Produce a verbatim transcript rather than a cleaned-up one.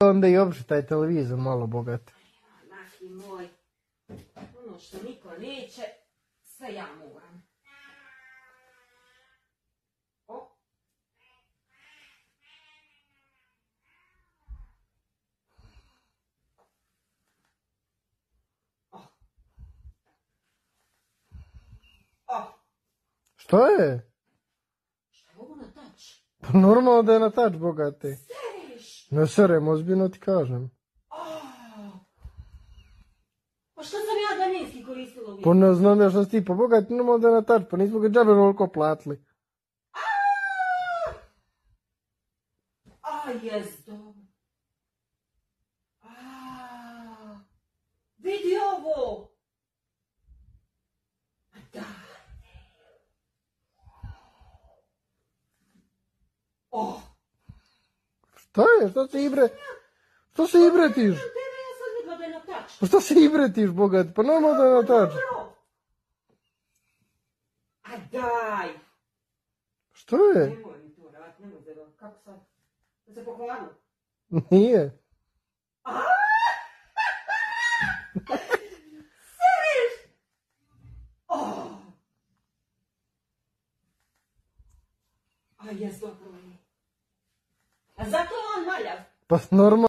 Onda i opšte taj televizor malo bogat. Naši moj, ono što niko neće, sve ja moram. O. O. O. Što je? Šta je ovo na tač? Pa normalno da je na tač, bogate. Seriš? Ne serem, ozbiljno ti kažem. Pa što sam ja daninski koristila uvijek? Pa ne znam da što si ti, pa bogati normalno da je na tač, pa nismo ga džabe ovoliko platili. A, jes dobro. A, vidi ovo. A da. O. Šta je, šta se ibre? Što se ibretiš? Tebe ja sam vidla da je na tač. Pa šta se ibretiš, bogat? Pa normalno da je na tač. Dobro. A daj. Što je? Nemoj mi to rad, nemoj da kako sad? Da se pokvarilo? Nije. Seriš? Oh. A jes dobro je. A zato on maljav. Pa normalno.